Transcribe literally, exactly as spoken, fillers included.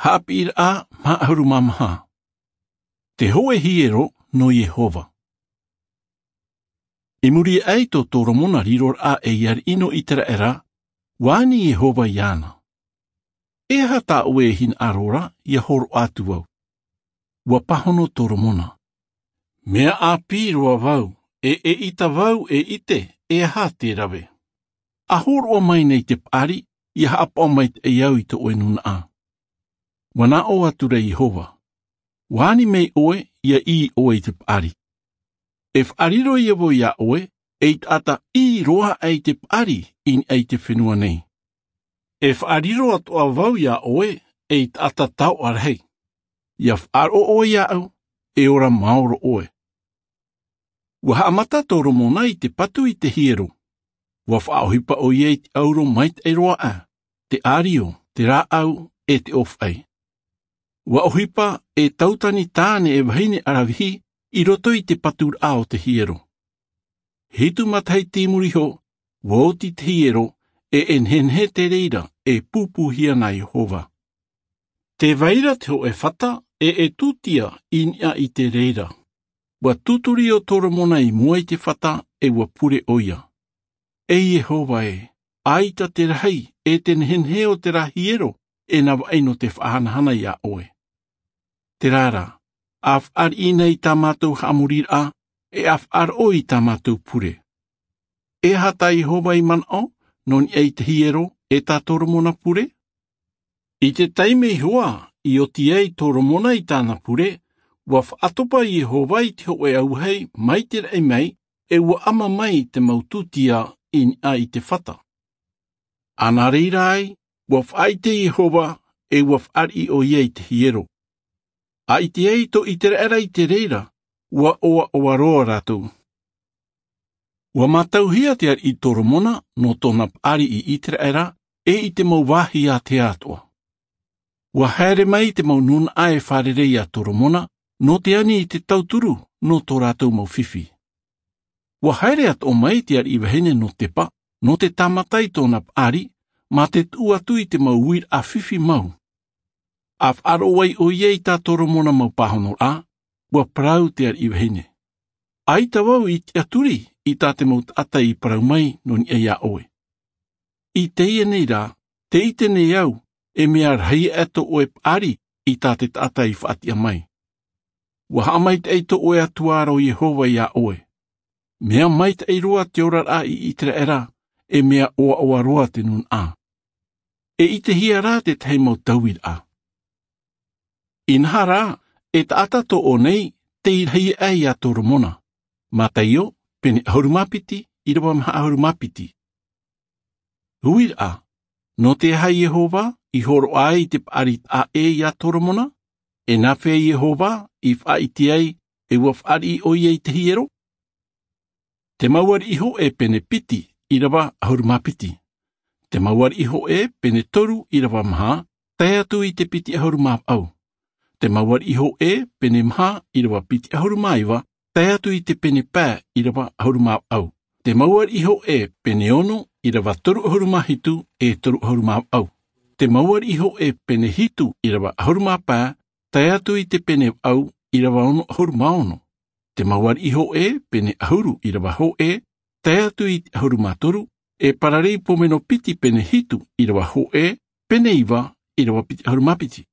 Haʻapiʻiraʻa maha ʻahuru mā maha. Te hōʻē hiero nō Iehova. I muri aʻe i tō Toromona riroraʻa ei ariʻi nō Iteraera, ʻua ani Iehova iāna: E aha tā ʻoe e hinaʻaro ra, ʻia hōroʻa atu vau? ʻUa pāhono Toromona: Mea ʻāpī roa vau, e ʻeʻita vau e ʻite e aha te rave. ʻA hōroʻa mai nei te paʻari, ʻia haʻapaʻo maitaʻi au i tō ʻoe nūnaʻa. ʻUa nā ʻō atu ra Iehova: ʻUa ani mai ʻoe, ʻia ʻī ʻoe i te paʻari. E faʻariro ïa vau iā ʻoe ei taʻata ʻī roa aʻe i te paʻari i niʻa i te fenua nei. E faʻariro atoʻa vau iā ʻoe ei taʻata taoʻa rahi. ʻIa faʻaroʻo ʻoe iāʻu, e ora maoro ʻoe. ʻUa haʻamata Toromona i te patu i te hiero. ʻUa faʻaʻohipa ʻoia i te ʻauro maitaʻi roa aʻe, te ʻārio, te rāʻau, e te ʻōfaʻi. ʻUa ʻohipa e tautani tāne e vahine ʻaravihi i roto i te paturaʻa o te hiero. Hitu matahiti i muri iho, ʻua oti te hiero, e e nehenehe te reira e pūpūhia nā Iehova. Tē vai ra te hōʻē fata e e tūtia i niʻa i te reira. ʻUa tūturi ʻo Toromona i mua i te fata, e ʻua pure ʻoia: E Iehova ē, ʻaita te rahi e te nehenehe o terā hiero e navaʻi nō te faʻahanahana iā ʻoe. Terā rā, ʻa fāriʻi nei i tā mātou haʻamoriraʻa, e ʻa faʻaroʻo i tā mātou pure. E aha tā Iehova i manaʻo nō niʻa i te hiero e tā Toromona pure? I te taime iho ā i oti ai Toromona i tāna pure, ʻua faʻatopa Iehova i te hōʻē auahi mai te raʻi mai, e ʻua ʻama mai te mau tūtia i niʻa i te fata. ʻA nā reira ai, ʻua faʻaʻite Iehova, e ʻua fāriʻi ʻoia i te hiero. ʻA ʻite ai tō Iteraera i te reira, ʻua ʻoaʻoa roa rātou. ʻUa mātauhia te ariʻi Toromona nō tōna paʻari i Iteraera, e i te mau vāhi ātea atoʻa. ʻUa haere mai te mau nūnaʻa e fārerei iā Toromona nō te ani i te tauturu nō tō rātou mau fifi. ʻUa haere atoʻa mai te ariʻi vahine nō Tepa, nō te tāmata i tōna paʻari, mā te tuʻu atu i te mau uiraʻa fifi mau. ʻA faʻaroʻo ai ʻoia i tā Toromona mau pāhonoraʻa, ʻua parau te ariʻi vahine: ʻAita vau i tiʻaturi i tā te mau taʻata i parau mai nō niʻa iā ʻoe. I teie nei rā, tē ʻite nei au, e mea rahi aʻe tō ʻoe paʻari i tā te taʻata i faʻatiʻa mai. ʻUa haʻamaitaʻi tō ʻoe Atua ra ʻo Iehova iā ʻoe. Mea maitaʻi roa te oraraʻa i Iteraera, e mea ʻoaʻoa roa te nūnaʻa. E ʻitehia rā te tahi mau tauiraʻa. Inaha rā, e taʻata toʻo nei tei rahi aʻe iā Toromona. Mataio, pene ʻahuru mā piti, ʻīrava maha ʻahuru mā piti. Uiraʻa, nō te aha Iehova i hōroʻa ai i te paʻari taʻa ʻē iā Toromona? E nāfea Iehova i faʻaʻite ai e ʻua fāriʻi ʻoia i te hiero? Te mau ariʻi hōʻē pene piti, ʻīrava ʻahuru mā piti. Te mau ariʻi hōʻē pene toru, ʻīrava maha, tae atu i te piti ʻahuru mā vaʻu. Te mau ariʻi hōʻē pene maha, ʻīrava piti ʻahuru mā iva, tae atu i te pene pae, ʻīrava ʻahuru mā vaʻu. Te mau ariʻi hōʻē pene ono, ʻīrava toru ʻahuru mā hitu, e toru ʻahuru mā vaʻu. Te mau ariʻi hōʻē pene hitu, ʻīrava ʻahuru mā pae, tae atu i te pene vaʻu, ʻīrava ono ʻahuru mā ono. Te mau ariʻi hōʻē pene ʻahuru, ʻīrava hōʻē, tae atu i te ʻahuru mā toru, e pararei pōmeno piti pene hitu, ʻīrava hōʻē, pene iva, ʻīrava piti ʻahuru mā piti.